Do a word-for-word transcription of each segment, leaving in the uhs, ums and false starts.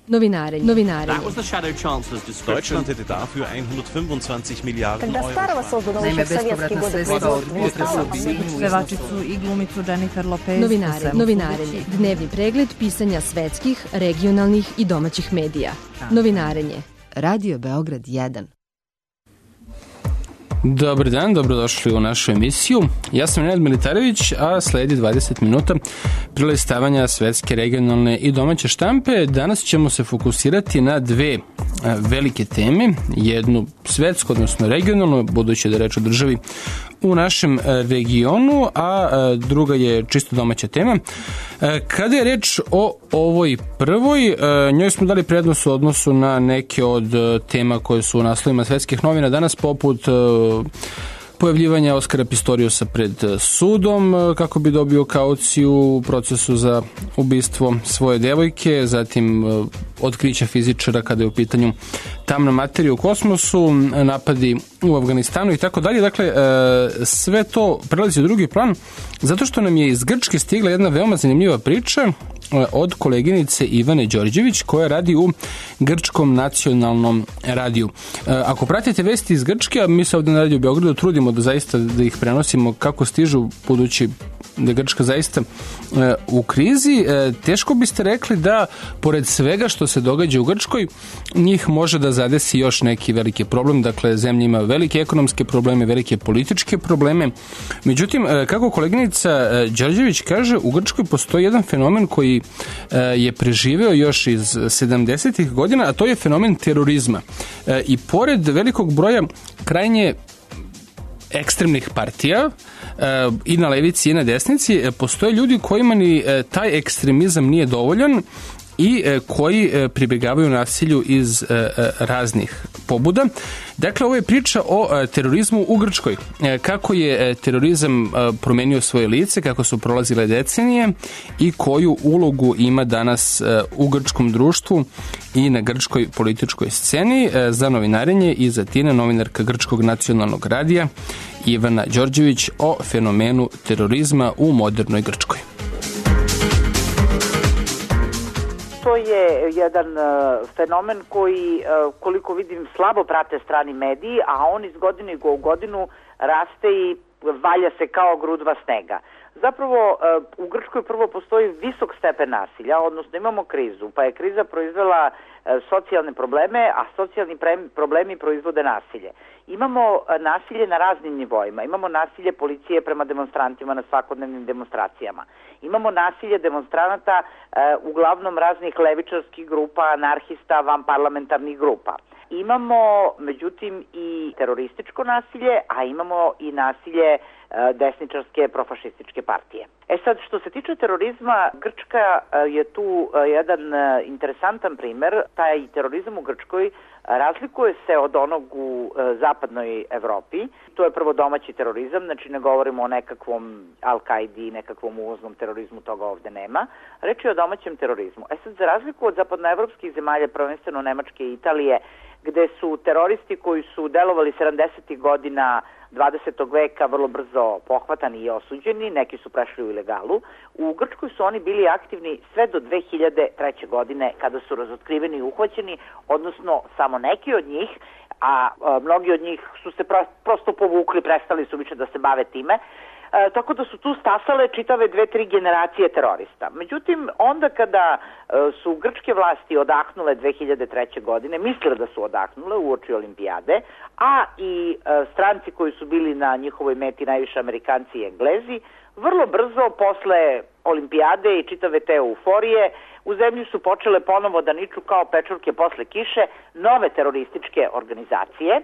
Novinarenje. Novinarenje. Deutschland hätte dafür hundertfünfundzwanzig Milliarden Когда старого создано еще в советские годы Pevačicu i glumicu Jennifer Lopez. Novinarenje. Novinarenje. Dnevni pregled pisanja svetskih, regionalnih i domaćih medija. Novinarenje. Radio Beograd jedan. Dobar dan, dobrodošli u našu emisiju. Ja sam Nenad Militarević, a sledi dvadeset minuta prelistavanja svetske, regionalne i domaće štampe. Danas ćemo se fokusirati na dve velike teme. Jednu svetsku, odnosno regionalnu, budući da je reč o državi u našem regionu, a druga je čisto domaća tema. Kada je reč o ovoj prvoj, njoj smo dali prednost u odnosu na neke od tema koje su u naslovima svetskih novina danas, poput pojavljivanja Oskara Pistoriusa pred sudom kako bi dobio kauciju u procesu za ubistvo svoje devojke, zatim otkrića fizičara kada je u pitanju tamna materija u kosmosu, napadi u Afganistanu i tako dalje. Dakle, sve to prelazi u drugi plan zato što nam je iz Grčke stigla jedna veoma zanimljiva priča od koleginice Ivane Đorđević koja radi u Grčkom nacionalnom radiju. Ako pratite vesti iz Grčke, a mi se ovde na radiju Beogradu trudimo da zaista da ih prenosimo kako stižu, budući da je Grčka zaista u krizi, teško biste rekli da pored svega što se događa u Grčkoj, njih može da zadesi još neki veliki problem. Dakle, zemlja ima velike ekonomske probleme, velike političke probleme. Međutim, kako koleginica Đorđević kaže, u Grčkoj postoji jedan fenomen koji je preživeo još iz sedamdesetih godina, a to je fenomen terorizma. I pored velikog broja krajnje ekstremnih partija i na levici i na desnici, postoje ljudi kojima ni taj ekstremizam nije dovoljan i koji pribegavaju nasilju iz raznih pobuda. Dakle, ovo je priča o terorizmu u Grčkoj. Kako je terorizam promenio svoje lice, kako su prolazile decenije i koju ulogu ima danas u grčkom društvu i na grčkoj političkoj sceni. Za novinarenje i za Tina, novinarka Grčkog nacionalnog radija, Ivana Đorđević o fenomenu terorizma u modernoj Grčkoj. To je jedan uh, fenomen koji, uh, koliko vidim, slabo prate strani mediji, a on iz godine u godinu raste i valja se kao grudva snega. Zapravo, uh, u Grčkoj prvo postoji visok stepen nasilja, odnosno imamo krizu, pa je kriza proizvela uh, socijalne probleme, a socijalni pre- problemi proizvode nasilje. Imamo uh, nasilje na raznim nivoima, imamo nasilje policije prema demonstrantima na svakodnevnim demonstracijama. Imamo nasilje demonstranata uh, uglavnom raznih levičarskih grupa, anarhista, vanparlamentarnih grupa. Imamo, međutim, i terorističko nasilje, a imamo i nasilje uh, desničarske profašističke partije. E sad, što se tiče terorizma, Grčka uh, je tu uh, jedan uh, interesantan primer. Taj terorizam u Grčkoj razlikuje se od onog u e, zapadnoj Evropi. To je prvo domaći terorizam, znači ne govorimo o nekakvom Al-Kaidi, nekakvom uvoznom terorizmu, toga ovde nema. Reč je o domaćem terorizmu. E sad, za razliku od zapadnoevropskih zemalja, prvenstveno Nemačke i Italije, gde su teroristi koji su delovali sedamdesetih godina dvadesetog veka vrlo brzo pohvatani i osuđeni, neki su prešli u ilegalu. U Grčkoj su oni bili aktivni sve do dve hiljade treće. godine kada su razotkriveni i uhvaćeni, odnosno samo neki od njih, a, a mnogi od njih su se pro, prosto povukli, prestali su više da se bave time. E, tako da su tu stasale čitave dve, tri generacije terorista. Međutim, onda kada e, su grčke vlasti odahnule dve hiljade treće. godine, mislile da su odahnule uoči olimpijade, a i e, stranci koji su bili na njihovoj meti, najviše Amerikanci i Englezi, vrlo brzo posle olimpijade i čitave te euforije u zemlji su počele ponovo da niču kao pečurke posle kiše nove terorističke organizacije.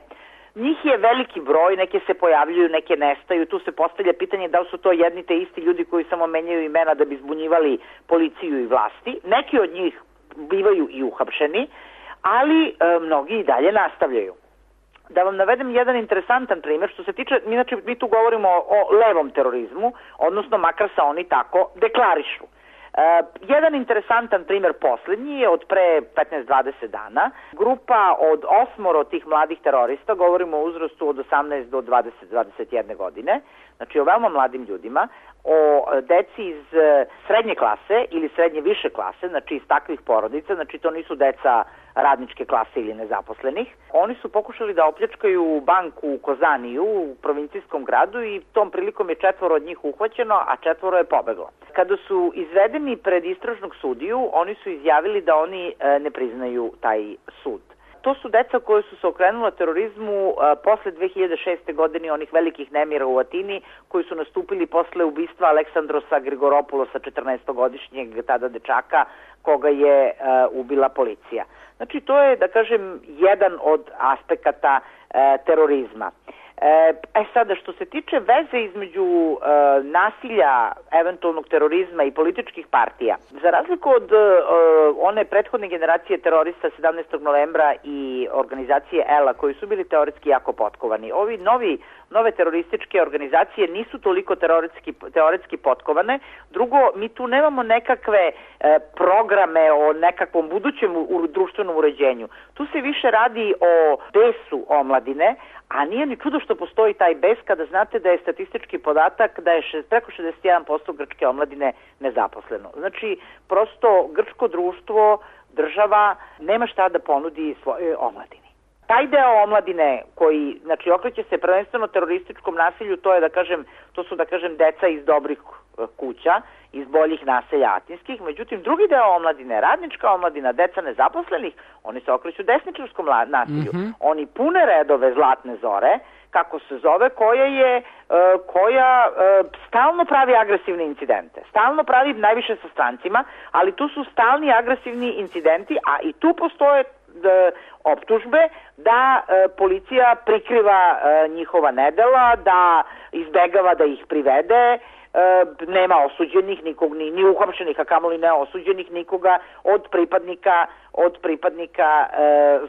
Njih je veliki broj, neke se pojavljuju, neke nestaju, tu se postavlja pitanje da li su to jedni te isti ljudi koji samo menjaju imena da bi zbunjivali policiju i vlasti. Neki od njih bivaju i uhapšeni, ali e, mnogi i dalje nastavljaju. Da vam navedem jedan interesantan primjer, što se tiče, inače mi tu govorimo o, o levom terorizmu, odnosno makar se oni tako deklarišu. Uh, jedan interesantan primjer posljednji je od pre petnaest do dvadeset dana. Grupa od osmoro tih mladih terorista, govorimo o uzrastu od osamnaest do dvadeset do dvadeset jedne godine, znači o veoma mladim ljudima, o deci iz srednje klase ili srednje više klase, znači iz takvih porodica, znači to nisu deca radničke klase ili nezaposlenih. Oni su pokušali da opljačkaju banku u Kozaniju, u provincijskom gradu, i tom prilikom je četvoro od njih uhvaćeno, a četvoro je pobeglo. Kada su izvedeni pred istražnog sudiju, oni su izjavili da oni ne priznaju taj sud. To su deca koje su se okrenula terorizmu a, posle dve hiljade šeste. godine, onih velikih nemira u Atini, koji su nastupili posle ubistva Aleksandrosa Grigoropulosa, četrnaestogodišnjeg tada dečaka, koga je a, ubila policija. Znači, to je, da kažem, jedan od aspekata a, terorizma. E sada, što se tiče veze između e, nasilja, eventualnog terorizma i političkih partija, za razliku od e, one prethodne generacije terorista sedamnaestog novembra i organizacije E L A, koji su bili teoretski jako potkovani, ovi novi, nove terorističke organizacije nisu toliko teoretski, teoretski potkovane. Drugo, mi tu nemamo nekakve e, programe o nekakvom budućem u, društvenom uređenju. Tu se više radi o besu omladine, a nije ni čudo što postoji taj bes kada znate da je statistički podatak da je šest, preko šezdeset jedan posto grčke omladine nezaposleno. Znači, prosto grčko društvo, država nema šta da ponudi svojoj omladini. Taj deo omladine koji, znači, okreće se prvenstveno terorističkom nasilju, to je, da kažem, to su, da kažem, deca iz dobrih kuća, iz boljih naselja atinskih. Međutim, drugi deo omladine, radnička omladina, deca nezaposlenih, oni se okreću desničarskom nasilju. Mm-hmm. Oni pune redove Zlatne Zore, kako se zove, koja je, koja stalno pravi agresivne incidente. Stalno pravi najviše sa strancima, ali tu su stalni agresivni incidenti, a i tu postoje optužbe da e, policija prikriva e, njihova nedela, da izbegava da ih privede, e, nema osuđenih nikog, ni, ni uhapšenih, a kamoli ne osuđenih nikoga od pripadnika od pripadnika e,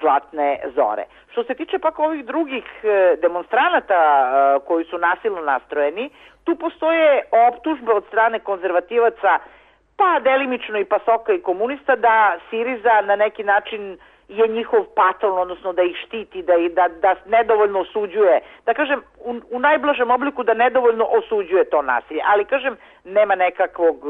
Zlatne Zore. Što se tiče pak ovih drugih e, demonstranata e, koji su nasilno nastrojeni, tu postoje optužbe od strane konzervativaca, pa delimično i Pasoka i komunista, da Siriza na neki način je njihov patron, odnosno da ih štiti, da, da, da nedovoljno osuđuje, da kažem u, u najblažem obliku da nedovoljno osuđuje to nasilje, ali kažem nema nekakvog,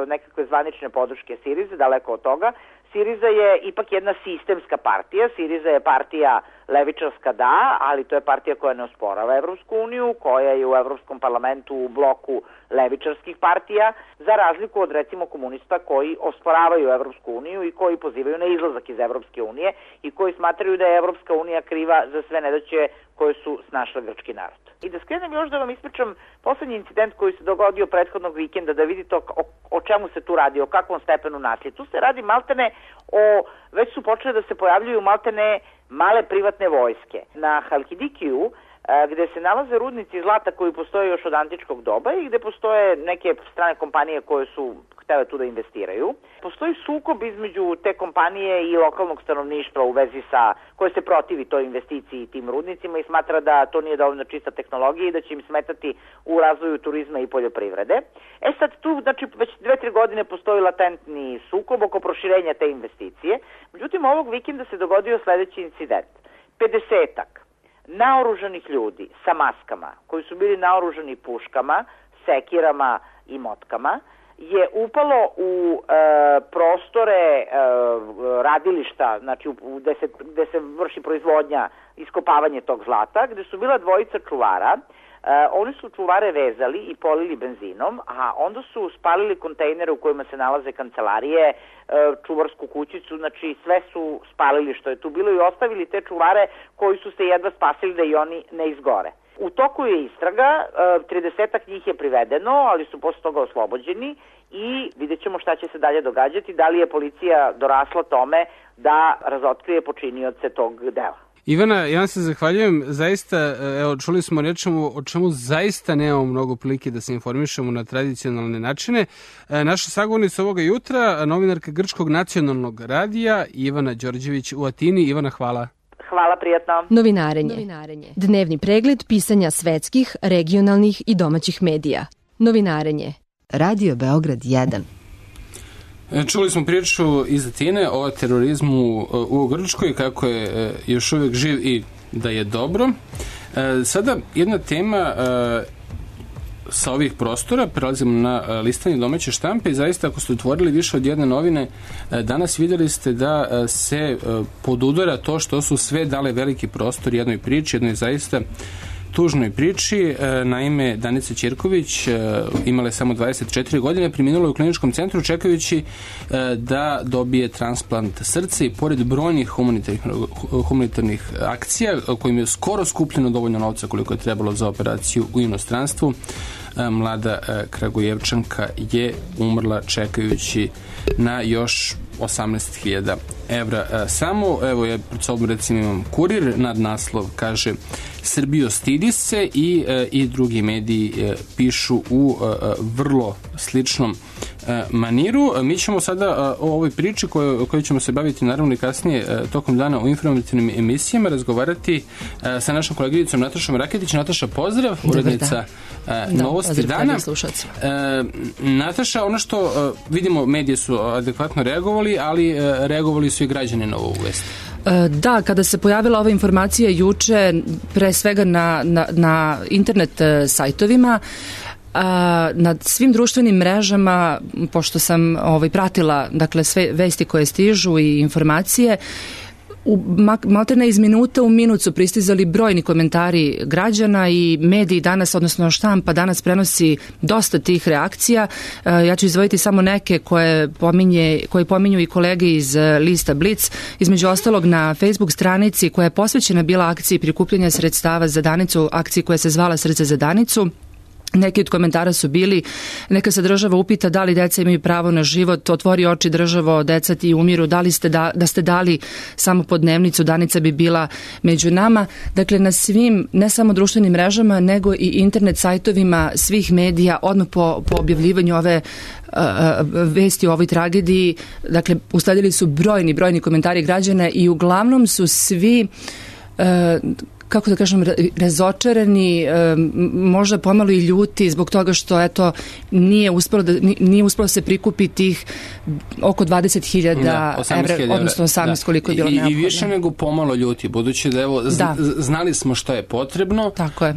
nekakve zvanične podrške Sirize, daleko od toga. Siriza je ipak jedna sistemska partija, Siriza je partija levičarska, da, ali to je partija koja ne osporava Evropsku uniju, koja je u Evropskom parlamentu u bloku levičarskih partija, za razliku od recimo komunista koji osporavaju Evropsku uniju i koji pozivaju na izlazak iz Evropske unije i koji smatraju da je Evropska unija kriva za sve nedaće koje su snašle grčki narod. I da skrenem još da vam ispričam poslednji incident koji se dogodio prethodnog vikenda, da vidite o, o čemu se tu radi, o kakvom stepenu nasilja. Tu se radi maltene o, već su počele da se pojavljuju maltene male privatne vojske. Na Halkidikiju, gde se nalaze rudnici zlata koji postoje još od antičkog doba i gde postoje neke strane kompanije koje su htele tu da investiraju. Postoji sukob između te kompanije i lokalnog stanovništva u vezi sa, koje se protivi toj investiciji tim rudnicima i smatra da to nije dovoljno čista tehnologija i da će im smetati u razvoju turizma i poljoprivrede. E sad tu, znači, već dve, tri godine postoji latentni sukob oko proširenja te investicije. Međutim, ovog vikenda se dogodio sledeći incident. pedesetak naoružanih ljudi sa maskama, koji su bili naoružani puškama, sekirama i motkama, je upalo u e, prostore e, radilišta, znači u, u, gde, se, gde se vrši proizvodnja, iskopavanje tog zlata, gde su bila dvojica čuvara. E, oni su čuvare vezali i polili benzinom, a onda su spalili kontejnere u kojima se nalaze kancelarije, e, čuvarsku kućicu, znači sve su spalili što je tu bilo i ostavili te čuvare koji su se jedva spasili da i oni ne izgore. U toku je istraga, tridesetak njih je privedeno, ali su posle toga oslobođeni i vidjet ćemo šta će se dalje događati, da li je policija dorasla tome da razotkrije počinioce tog dela. Ivana, ja vam se zahvaljujem, zaista, evo, čuli smo rečemo o čemu zaista nemamo mnogo prilike da se informišemo na tradicionalne načine. Naša sagovornica ovoga jutra, novinarka Grčkog nacionalnog radija, Ivana Đorđević u Atini. Ivana, hvala. Hvala, prijatno. Novinarenje. Novinarenje. Dnevni pregled pisanja svetskih, regionalnih i domaćih medija. Novinarenje. Radio Beograd jedan. Čuli smo priču iz Atine o terorizmu u Grčkoj, kako je još uvijek živ i da je dobro. Sada jedna tema sa ovih prostora prelazimo na listanje domaće štampe i zaista ako ste otvorili više od jedne novine, danas vidjeli ste da se podudara to što su sve dale veliki prostor jednoj priči, jednoj zaista tužnoj priči. Naime, Danica Ćirković imala je samo dvadeset četiri godine, preminula je u kliničkom centru čekajući da dobije transplant srca i pored brojnih humanitarnih, humanitarnih akcija kojim je skoro skupljeno dovoljno novca koliko je trebalo za operaciju u inostranstvu, mlada Kragujevčanka je umrla čekajući na još osamnaest hiljada evra. Samo, evo ja pred sobom recimo imam Kurir, nadnaslov kaže Srbijo stidi se i, i drugi mediji pišu u vrlo sličnom maniru. Mi ćemo sada o ovoj priči koju, koju ćemo se baviti naravno i kasnije tokom dana u informativnim emisijama razgovarati sa našom koleginicom Natašom Raketić. Nataša, pozdrav, urednica Novosti dana. Nataša, ono što vidimo, medije su adekvatno reagovali, ali reagovali su i građani na ovu vest. Da, kada se pojavila ova informacija juče, pre svega na, na, na internet sajtovima, a, nad svim društvenim mrežama, pošto sam ovaj, pratila dakle, sve vesti koje stižu i informacije, u maltene iz minuta u minut su pristizali brojni komentari građana i mediji danas, odnosno štampa danas prenosi dosta tih reakcija. Ja ću izdvojiti samo neke koje, pominje, koje pominju i kolege iz lista Blic. Između ostalog na Facebook stranici koja je posvećena bila akciji prikupljanja sredstava za Danicu, akciji koja se zvala Srce za Danicu. Neki od komentara su bili, neka se država upita da li deca imaju pravo na život, otvori oči državo, deca ti umiru, da li ste, da, da ste dali samo po dnevnicu, Danica bi bila među nama. Dakle, na svim, ne samo društvenim mrežama, nego i internet sajtovima svih medija, odmah po, po objavljivanju ove uh, vesti o ovoj tragediji, dakle, usledili su brojni, brojni komentari građana i uglavnom su svi uh, kako da kažem, razočarani, možda pomalo i ljuti zbog toga što eto nije uspelo da nije uspelo se prikupiti tih oko dvadeset hiljada evra, odnosno osamnaest koliko je bilo neophodno. I više nego pomalo ljuti, budući da evo da. znali smo što je potrebno. Tako je.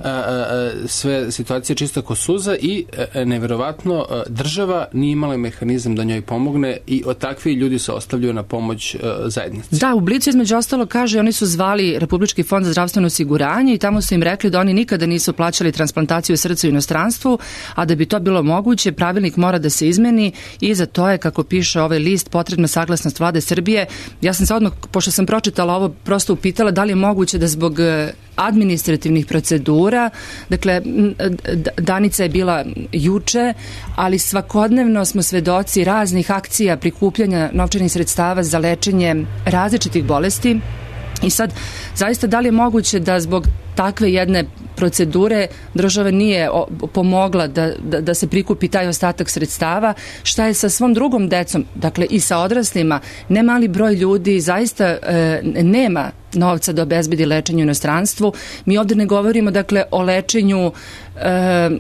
Sve situacije čista ko suza i neverovatno država nije imala mehanizam da njoj pomogne i od takvi ljudi se ostavljaju na pomoć zajednici. Da, u Blicu između ostalo kaže, oni su zvali Republički fond za zdravstveno osiguranje i tamo su im rekli da oni nikada nisu plaćali transplantaciju srca u inostranstvu, a da bi to bilo moguće, pravilnik mora da se izmeni i za to je, kako piše ovaj list, potrebna saglasnost vlade Srbije. Ja sam se odmah, pošto sam pročitala ovo, prosto upitala da li je moguće da zbog administrativnih procedura, dakle, Danica je bila juče, ali svakodnevno smo svedoci raznih akcija prikupljanja novčanih sredstava za lečenje različitih bolesti. I sad, zaista, da li je moguće da zbog takve jedne procedure država nije pomogla da, da, da se prikupi taj ostatak sredstava? Šta je sa svom drugom decom, dakle i sa odraslima? Ne mali broj ljudi zaista e, nema novca da obezbedi lečenje u inostranstvu. Mi ovdje ne govorimo, dakle, o lečenju e,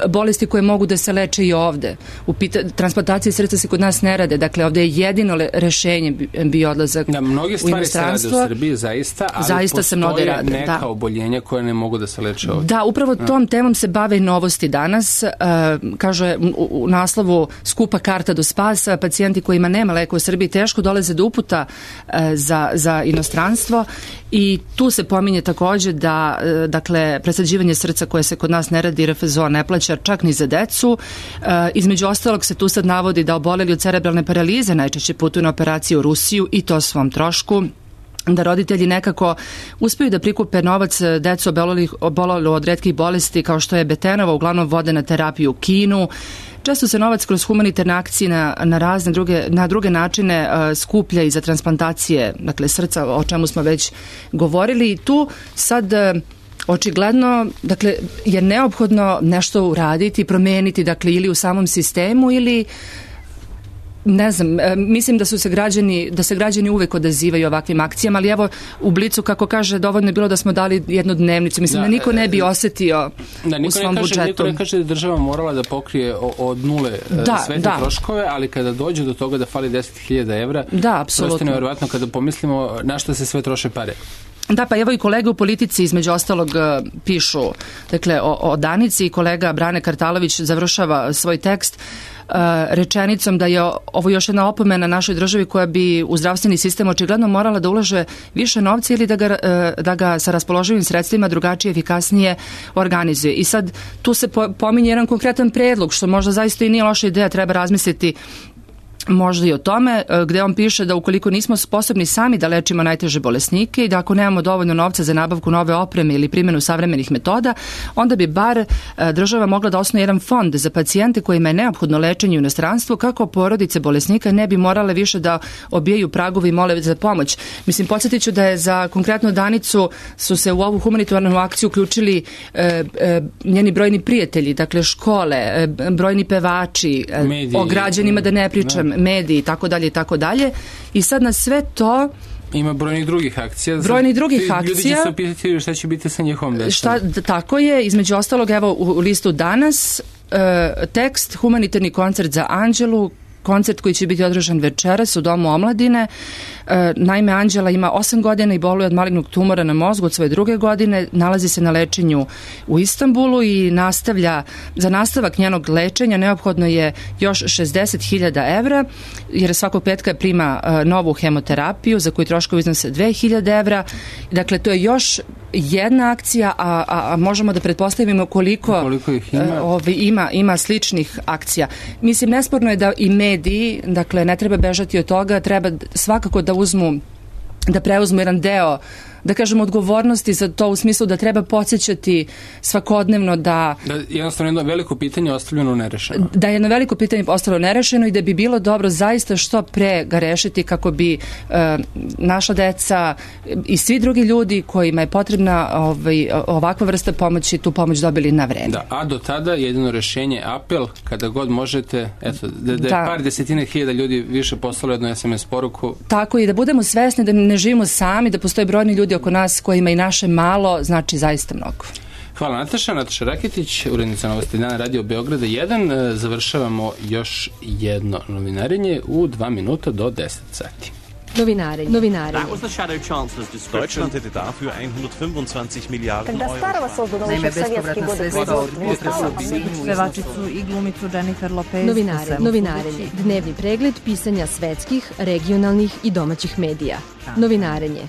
bolesti koje mogu da se leče i ovde. U pita, transplantacije srca se kod nas ne rade, dakle ovdje je jedino le, rešenje bio odlazak da, mnogi u inostranstvo. Mnogi stvari se rade u Srbiji, zaista, ali zaista postoje rade, neka da. oboljenja koje ne mogu da se leče ovdje. Da, upravo tom temom se bave i Novosti danas. E, kaže u, u naslovu skupa karta do spasa, pacijenti kojima nema leka u Srbiji teško dolaze do uputa e, za, za inostranstvo. I tu se pominje također da, dakle, presađivanje srca koje se kod nas ne radi, R F Z O ne plaća čak ni za decu. E, između ostalog se tu sad navodi da oboleli od cerebralne paralize najčešće putuju na operaciju u Rusiju i to svom trošku. Da roditelji nekako uspeju da prikupe novac, decu oboleli od retkih bolesti kao što je Betenova, uglavnom vode na terapiju u Kinu. Često se novac kroz humanitarne akcije na, na razne druge, na druge načine uh, skuplja i za transplantacije, dakle srca, o čemu smo već govorili. I tu sad uh, očigledno, dakle, je neophodno nešto uraditi, promeniti, dakle, ili u samom sistemu ili ne znam, mislim da su se građani, da se građani uvek odazivaju ovakvim akcijama, ali evo u Blicu, kako kaže, dovoljno je bilo da smo dali jednu dnevnicu. Mislim da, da niko ne bi osetio da, u svom ne kaže, budžetu. Niko ne kaže da država morala da pokrije od nule da, sve te da. troškove, ali kada dođe do toga da fali deset hiljada evra, da, apsolutno. Prosto nevjerovatno kada pomislimo na što se sve troše pare. Da, pa evo i kolege u politici između ostalog pišu, dakle, o, o Danici i kolega Brane Kartalović završava svoj tekst rečenicom da je ovo još jedna opomena našoj državi koja bi u zdravstveni sistem očigledno morala da ulaže više novca ili da ga, da ga sa raspoloživim sredstvima drugačije, efikasnije organizuje. I sad tu se pominje jedan konkretan predlog, što možda zaista i nije loša ideja, treba razmisliti možda i o tome, gde on piše da ukoliko nismo sposobni sami da lečimo najteže bolesnike i da ako nemamo dovoljno novca za nabavku nove opreme ili primjenu savremenih metoda, onda bi bar država mogla da osnuje jedan fond za pacijente kojima je neophodno lečenje u inostranstvu, kako porodice bolesnika ne bi morale više da obijaju pragovi i mole za pomoć. Mislim, podsjetit ću da je za konkretno Danicu su se u ovu humanitarnu akciju uključili e, e, njeni brojni prijatelji, dakle škole, e, brojni pevači, e, o građanima da ne pričam, ne. mediji i tako dalje i tako dalje. I sad na sve to ima brojnih drugih akcija. Brojnih drugih akcija. Ljudi će se opitati šta će biti sa njihovom decom. Šta, tako je, između ostalog, evo u listu danas e, tekst humanitarni koncert za Anđelu, koncert koji će biti održan večeras u Domu omladine. E, naime, Anđela ima osam godina i boluje od malignog tumora na mozgu od svoje druge godine, nalazi se na lečenju u Istanbulu i nastavlja, za nastavak njenog lečenja neophodno je još šezdeset hiljada evra, jer svakog petka prima e, novu hemoterapiju za koju troškovi iznose dve hiljade evra. Dakle, to je još jedna akcija, a, a, a možemo da pretpostavimo koliko, koliko ih ima. E, ovi, ima, ima sličnih akcija. Mislim, nesporno je da i mediji, dakle, ne treba bežati od toga, treba svakako da uzmu, da preuzmu jedan deo, da kažemo, odgovornosti za to, u smislu da treba podsjećati svakodnevno da... Da jednostavno jedno veliko pitanje je ostavljeno nerešeno. Da je jedno veliko pitanje ostalo nerešeno i da bi bilo dobro zaista što pre ga rešiti kako bi e, naša deca i svi drugi ljudi kojima je potrebna ovaj, ovakva vrsta pomoći, tu pomoć dobili na vreme. Da, a do tada jedino rešenje, apel, kada god možete, eto, da, da je da. par desetine hiljada ljudi više poslalo jednu es em es poruku. Tako, i da budemo svesni da ne živimo sami, da postoje brojni ljudi oko nas kojima i naše malo znači zaista mnogo. Hvala Nataša. Nataša Raketić, urednica Novosti dana Radio Beograda jedan. Završavamo još jedno novinarenje u dva minuta do deset sati. Novinarenje. Novinarenje. That was the shadow chancellor's description. Deutschland hätte dafür hundertfünfundzwanzig Milliarden Когда старого создано еще в советские годы производства. Pevačicu i glumicu Jennifer Lopez. Novinarenje. Novinarenje. Dnevni pregled pisanja svetskih, regionalnih i domaćih medija. Novinarenje.